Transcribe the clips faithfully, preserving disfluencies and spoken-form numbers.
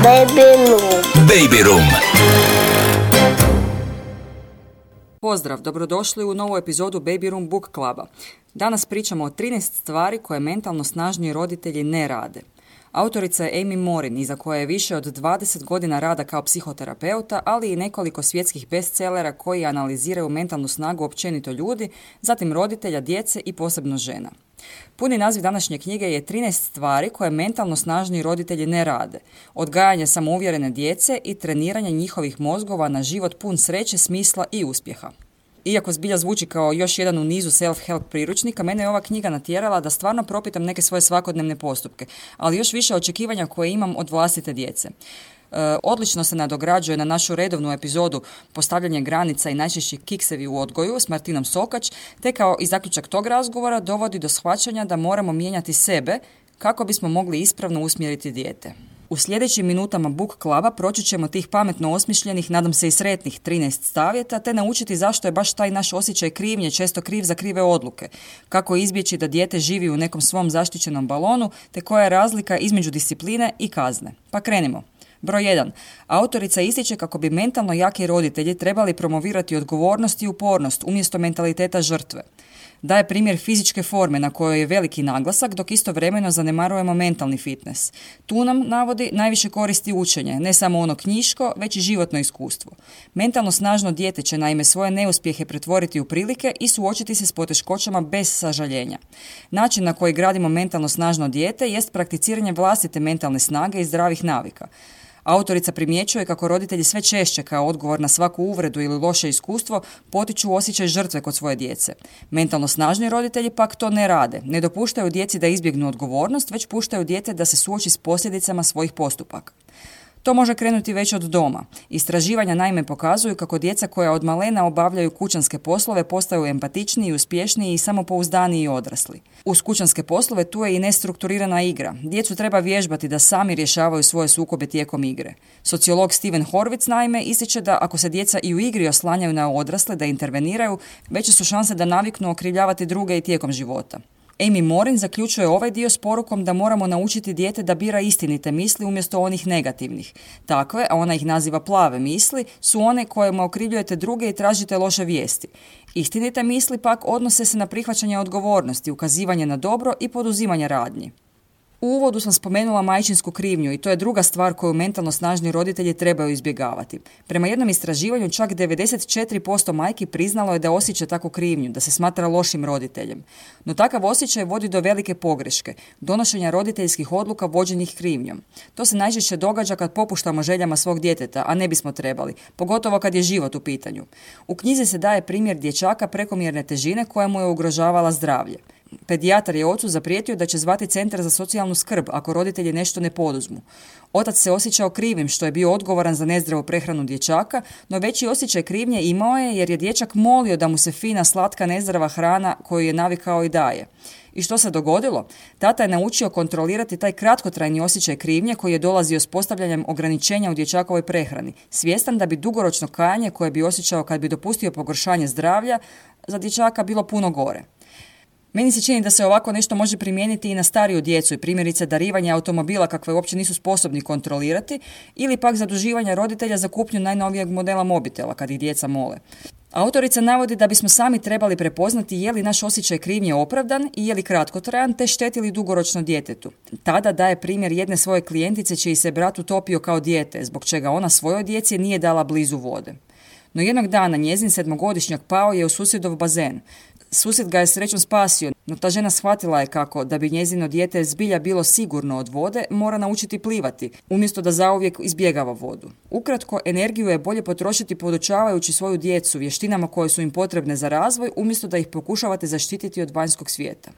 Baby Room. Baby Room. Pozdrav, dobrodošli u novu epizodu Baby Room Book Cluba. Danas pričamo o trinaest stvari koje mentalno snažniji roditelji ne rade. Autorica je Amy Morin, iza koje je više od dvadeset godina rada kao psihoterapeuta, ali i nekoliko svjetskih bestsellera koji analiziraju mentalnu snagu općenito ljudi, zatim roditelja, djece i posebno žena. Puni naziv današnje knjige je trinaest stvari koje mentalno snažniji roditelji ne rade. Odgajanje samouvjerene djece i treniranje njihovih mozgova na život pun sreće, smisla i uspjeha. Iako zbilja zvuči kao još jedan u nizu self-help priručnika, mene je ova knjiga natjerala da stvarno propitam neke svoje svakodnevne postupke, ali još više očekivanja koje imam od vlastite djece. E, odlično se nadograđuje na našu redovnu epizodu Postavljanje granica i najčešći kiksevi u odgoju s Martinom Sokač, te kao i zaključak tog razgovora dovodi do shvaćanja da moramo mijenjati sebe kako bismo mogli ispravno usmjeriti dijete. U sljedećim minutama Book Cluba proći ćemo tih pametno osmišljenih, nadam se i sretnih trinaest savjeta, te naučiti zašto je baš taj naš osjećaj krivnje često kriv za krive odluke, kako izbjeći da dijete živi u nekom svom zaštićenom balonu, te koja je razlika između discipline i kazne. Pa krenimo. Broj jedan. Autorica ističe kako bi mentalno jaki roditelji trebali promovirati odgovornost i upornost umjesto mentaliteta žrtve. Daje primjer fizičke forme na kojoj je veliki naglasak, dok istovremeno zanemarujemo mentalni fitness. Tu nam navodi najviše koristi učenje, ne samo ono knjiško, već i životno iskustvo. Mentalno snažno dijete će naime svoje neuspjehe pretvoriti u prilike i suočiti se s poteškoćama bez sažaljenja. Način na koji gradimo mentalno snažno dijete jest prakticiranje vlastite mentalne snage i zdravih navika. Autorica primjećuje kako roditelji sve češće kao odgovor na svaku uvredu ili loše iskustvo potiču osjećaj žrtve kod svoje djece. Mentalno snažni roditelji pak to ne rade. Ne dopuštaju djeci da izbjegnu odgovornost, već puštaju dijete da se suoči s posljedicama svojih postupaka. To može krenuti već od doma. Istraživanja naime pokazuju kako djeca koja od malena obavljaju kućanske poslove postaju empatičniji, uspješniji i samopouzdaniji odrasli. Uz kućanske poslove tu je i nestrukturirana igra. Djecu treba vježbati da sami rješavaju svoje sukobe tijekom igre. Sociolog Steven Horvitz naime ističe da ako se djeca i u igri oslanjaju na odrasle da interveniraju, veće su šanse da naviknu okrivljavati druge i tijekom života. Amy Morin zaključuje ovaj dio s porukom da moramo naučiti dijete da bira istinite misli umjesto onih negativnih. Takve, a ona ih naziva plave misli, su one kojima okrivljujete druge i tražite loše vijesti. Istinite misli pak odnose se na prihvaćanje odgovornosti, ukazivanje na dobro i poduzimanje radnji. U uvodu sam spomenula majčinsku krivnju i to je druga stvar koju mentalno snažni roditelji trebaju izbjegavati. Prema jednom istraživanju čak devedeset četiri posto majki priznalo je da osjeća takvu krivnju, da se smatra lošim roditeljem. No takav osjećaj vodi do velike pogreške, donošenja roditeljskih odluka vođenih krivnjom. To se najčešće događa kad popuštamo željama svog djeteta, a ne bismo trebali, pogotovo kad je život u pitanju. U knjizi se daje primjer dječaka prekomjerne težine koja mu je ugrožavala zdravlje. Pedijatar je ocu zaprijetio da će zvati centar za socijalnu skrb ako roditelji nešto ne poduzmu. Otac se osjećao krivim što je bio odgovoran za nezdravu prehranu dječaka, no veći osjećaj krivnje imao je jer je dječak molio da mu se fina, slatka, nezdrava hrana koju je navikao i daje. I što se dogodilo? Tata je naučio kontrolirati taj kratkotrajni osjećaj krivnje koji je dolazio s postavljanjem ograničenja u dječakovoj prehrani, svjestan da bi dugoročno kajanje koje bi osjećao kad bi dopustio pogoršanje zdravlja za dječaka bilo puno gore. Meni se čini da se ovako nešto može primijeniti i na stariju djecu i primjerice darivanje automobila kakve uopće nisu sposobni kontrolirati ili pak zaduživanje roditelja za kupnju najnovijeg modela mobitela kad ih djeca mole. Autorica navodi da bismo sami trebali prepoznati je li naš osjećaj krivnje opravdan i je li kratkotrajan te šteti li dugoročno djetetu. Tada daje primjer jedne svoje klijentice čiji se brat utopio kao dijete, zbog čega ona svojoj djeci nije dala blizu vode. No jednog dana njezin sedmogodišnjak pao je u susjedov bazen. Susjed ga je srećom spasio, no ta žena shvatila je kako, da bi njezino dijete zbilja bilo sigurno od vode, mora naučiti plivati, umjesto da zauvijek izbjegava vodu. Ukratko, energiju je bolje potrošiti podučavajući svoju djecu vještinama koje su im potrebne za razvoj, umjesto da ih pokušavate zaštititi od vanjskog svijeta.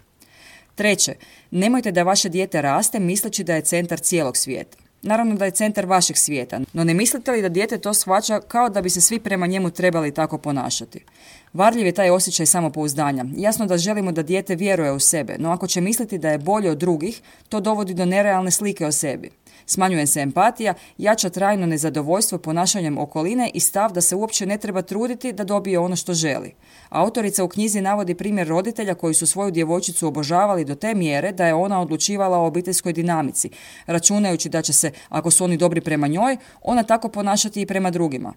Treće, nemojte da vaše dijete raste misleći da je centar cijelog svijeta. Naravno da je centar vašeg svijeta, no ne mislite li da dijete to shvaća kao da bi se svi prema njemu trebali tako ponašati? Varljiv je taj osjećaj samopouzdanja. Jasno da želimo da dijete vjeruje u sebe, no ako će misliti da je bolje od drugih, to dovodi do nerealne slike o sebi. Smanjuje se empatija, jača trajno nezadovoljstvo ponašanjem okoline i stav da se uopće ne treba truditi da dobije ono što želi. Autorica u knjizi navodi primjer roditelja koji su svoju djevojčicu obožavali do te mjere da je ona odlučivala o obiteljskoj dinamici, računajući da će se, ako su oni dobri prema njoj, ona tako ponašati i prema drugima.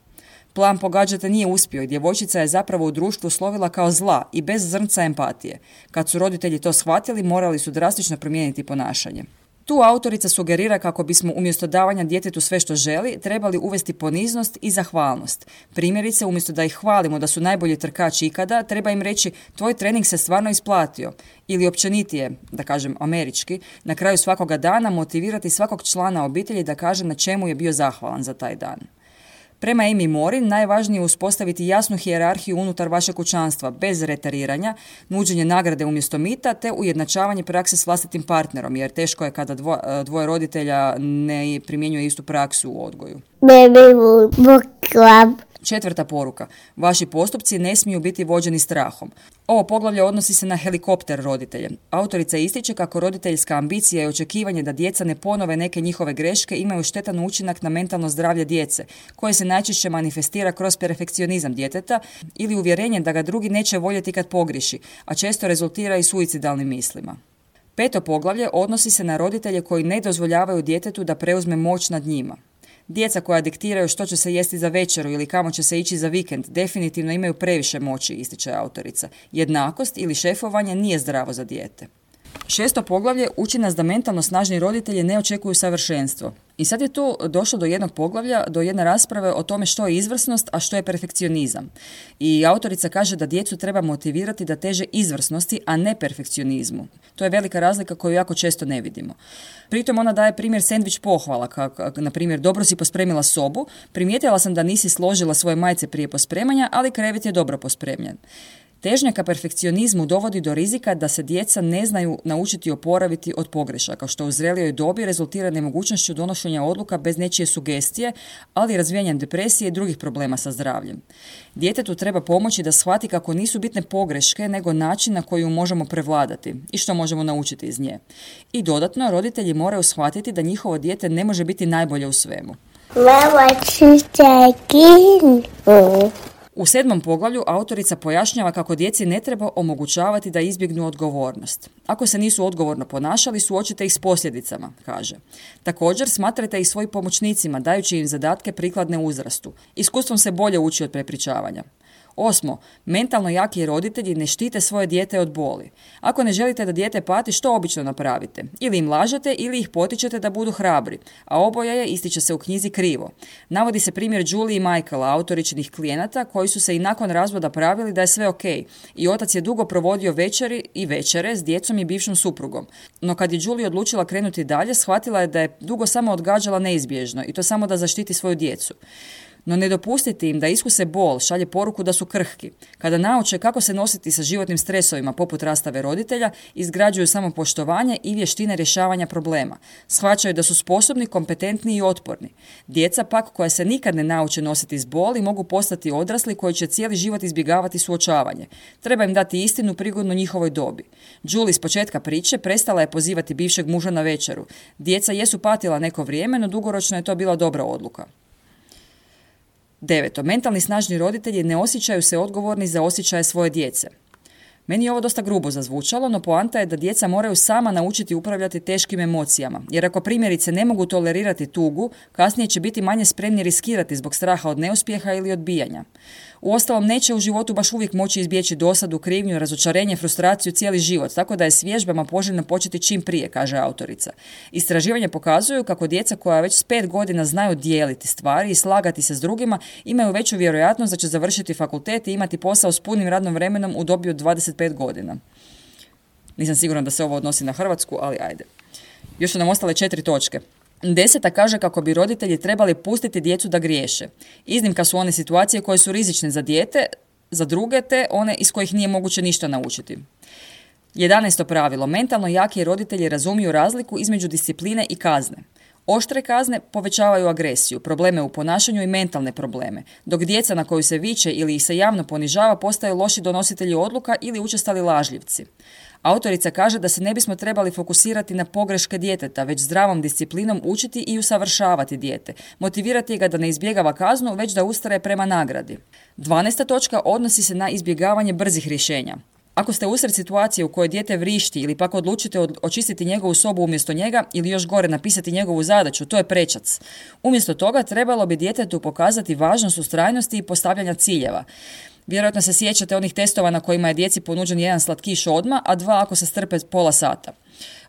Plan pogađate nije uspio i djevojčica je zapravo u društvu slovila kao zla i bez zrnca empatije. Kad su roditelji to shvatili, morali su drastično promijeniti ponašanje. Tu autorica sugerira kako bismo umjesto davanja djetetu sve što želi, trebali uvesti poniznost i zahvalnost. Primjerice, umjesto da ih hvalimo da su najbolji trkači ikada, treba im reći tvoj trening se stvarno isplatio. Ili općenitije, da kažem američki, na kraju svakoga dana motivirati svakog člana obitelji da kaže na čemu je bio zahvalan za taj dan. Prema Amy Morin, najvažnije je uspostaviti jasnu hijerarhiju unutar vašeg kućanstva, bez retariranja, nuđenje nagrade umjesto mita, te ujednačavanje prakse s vlastitim partnerom, jer teško je kada dvo, dvoje roditelja ne primjenjuje istu praksu u odgoju. Baby Book Club. Četvrta poruka. Vaši postupci ne smiju biti vođeni strahom. Ovo poglavlje odnosi se na helikopter roditelje. Autorica ističe kako roditeljska ambicija i očekivanje da djeca ne ponove neke njihove greške imaju štetan učinak na mentalno zdravlje djece, koje se najčešće manifestira kroz perfekcionizam djeteta ili uvjerenje da ga drugi neće voljeti kad pogriješi, a često rezultira i suicidalnim mislima. Peto poglavlje odnosi se na roditelje koji ne dozvoljavaju djetetu da preuzme moć nad njima. Djeca koja diktiraju što će se jesti za večeru ili kamo će se ići za vikend definitivno imaju previše moći, ističe autorica. Jednakost ili šefovanje nije zdravo za dijete. Šesto poglavlje uči nas da mentalno snažni roditelji ne očekuju savršenstvo. I sad je tu došlo do jednog poglavlja, do jedne rasprave o tome što je izvrsnost, a što je perfekcionizam. I autorica kaže da djecu treba motivirati da teže izvrsnosti, a ne perfekcionizmu. To je velika razlika koju jako često ne vidimo. Pritom ona daje primjer sendvič pohvala, kako, na primjer, dobro si pospremila sobu, primijetila sam da nisi složila svoje majice prije pospremanja, ali krevet je dobro pospremljen. Težnja ka perfekcionizmu dovodi do rizika da se djeca ne znaju naučiti oporaviti od pogrešaka, što u zrelijoj dobi rezultira nemogućnošću donošenja odluka bez nečije sugestije, ali i razvijanjem depresije i drugih problema sa zdravljem. Djetetu treba pomoći da shvati kako nisu bitne pogreške, nego način na koji ju možemo prevladati i što možemo naučiti iz nje. I dodatno, roditelji moraju shvatiti da njihovo dijete ne može biti najbolje u svemu. Mama, U sedmom poglavlju autorica pojašnjava kako djeci ne treba omogućavati da izbjegnu odgovornost. Ako se nisu odgovorno ponašali, suočite ih s posljedicama, kaže. Također, smatrajte ih svojim pomoćnicima, dajući im zadatke prikladne uzrastu. Iskustvom se bolje uči od prepričavanja. Osmo, mentalno jaki roditelji ne štite svoje dijete od boli. Ako ne želite da dijete pati, što obično napravite? Ili im lažete ili ih potičete da budu hrabri, a oboje je, ističe se u knjizi, krivo. Navodi se primjer Julie i Michaela, autoričinih klijenata, koji su se i nakon razvoda pravili da je sve ok. I otac je dugo provodio večeri i večere s djecom i bivšom suprugom. No kad je Julie odlučila krenuti dalje, shvatila je da je dugo samo odgađala neizbježno i to samo da zaštiti svoju djecu. No ne dopustiti im da iskuse bol šalje poruku da su krhki. Kada nauče kako se nositi sa životnim stresovima poput rastave roditelja, izgrađuju samopoštovanje i vještine rješavanja problema. Shvaćaju da su sposobni, kompetentni i otporni. Djeca pak koja se nikad ne nauče nositi s boli mogu postati odrasli koji će cijeli život izbjegavati suočavanje. Treba im dati istinu prigodno njihovoj dobi. Julie s početka priče prestala je pozivati bivšeg muža na večeru. Djeca jesu patila neko vrijeme, no dugoročno je to bila dobra odluka. Deveto. Mentalni snažni roditelji ne osjećaju se odgovorni za osjećaje svoje djece. Meni je ovo dosta grubo zazvučalo, no poanta je da djeca moraju sama naučiti upravljati teškim emocijama, jer ako primjerice ne mogu tolerirati tugu, kasnije će biti manje spremni riskirati zbog straha od neuspjeha ili odbijanja. Uostalom, neće u životu baš uvijek moći izbjeći dosadu, krivnju, razočarenje, frustraciju cijeli život, tako da je s vježbama poželjno početi čim prije, kaže autorica. Istraživanja pokazuju kako djeca koja već s pet godina znaju dijeliti stvari i slagati se s drugima, imaju veću vjerojatnost da će završiti fakultet i imati posao s punim radnom vremenom u dobi od dvadeset pet godina. Nisam sigurna da se ovo odnosi na Hrvatsku, ali ajde. Još su nam ostale četiri točke. Deseta kaže kako bi roditelji trebali pustiti djecu da griješe. Iznimka su one situacije koje su rizične za dijete, za druge te one iz kojih nije moguće ništa naučiti. Jedanaesto pravilo. Mentalno jaki roditelji razumiju razliku između discipline i kazne. Oštre kazne povećavaju agresiju, probleme u ponašanju i mentalne probleme, dok djeca na koju se viče ili ih se javno ponižava postaju loši donositelji odluka ili učestali lažljivci. Autorica kaže da se ne bismo trebali fokusirati na pogreške djeteta, već zdravom disciplinom učiti i usavršavati dijete, motivirati ga da ne izbjegava kaznu, već da ustraje prema nagradi. Dvanaesta točka odnosi se na izbjegavanje brzih rješenja. Ako ste usred situacije u kojoj dijete vrišti ili pak odlučite očistiti njegovu sobu umjesto njega ili još gore napisati njegovu zadaću, to je prečac. Umjesto toga trebalo bi djetetu pokazati važnost ustrajnosti i postavljanja ciljeva. Vjerojatno se sjećate onih testova na kojima je djeci ponuđen jedan slatkiš odmah, a dva ako se strpe pola sata.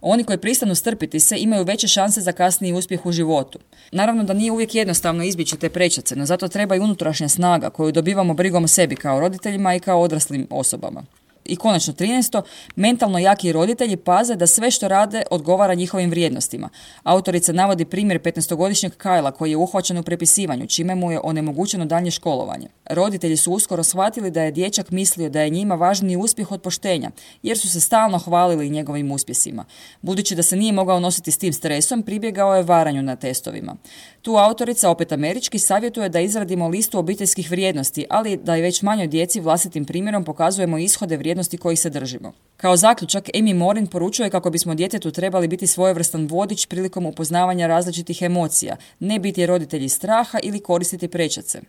Oni koji pristanu strpiti se imaju veće šanse za kasniji uspjeh u životu. Naravno da nije uvijek jednostavno izbjeći te prečace, no zato treba i unutrašnja snaga koju dobivamo brigom o sebi kao roditeljima i kao odraslim osobama. I konačno trinaesto. Mentalno jaki roditelji paze da sve što rade odgovara njihovim vrijednostima. Autorica navodi primjer petnaestogodišnjeg Kajla koji je uhvaćen u prepisivanju, čime mu je onemogućeno daljnje školovanje. Roditelji su uskoro shvatili da je dječak mislio da je njima važniji uspjeh od poštenja, jer su se stalno hvalili njegovim uspjesima. Budući da se nije mogao nositi s tim stresom, pribjegao je varanju na testovima. Tu autorica, opet američki, savjetuje da izradimo listu obiteljskih vrijednosti, ali da i već manjoj djeci vlastitim primjerom pokazujemo ishode vrijednosti kojih se držimo. Kao zaključak, Amy Morin poručuje kako bismo djetetu trebali biti svojevrstan vodič prilikom upoznavanja različitih emocija, ne biti roditelji straha ili koristiti prečace.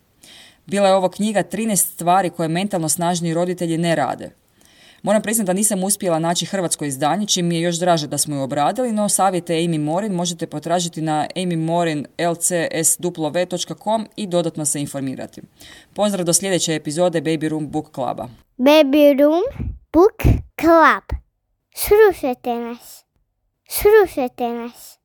Bila je ovo knjiga trinaest stvari koje mentalno snažniji roditelji ne rade. Moram priznati da nisam uspjela naći hrvatsko izdanje, čim mi je još draže da smo ju obradili, no savjete Amy Morin možete potražiti na amy morin l c s w dot com i dodatno se informirati. Pozdrav do sljedeće epizode Baby Room Book Cluba. Baby Room Book Club. Slušajte nas. Slušajte nas.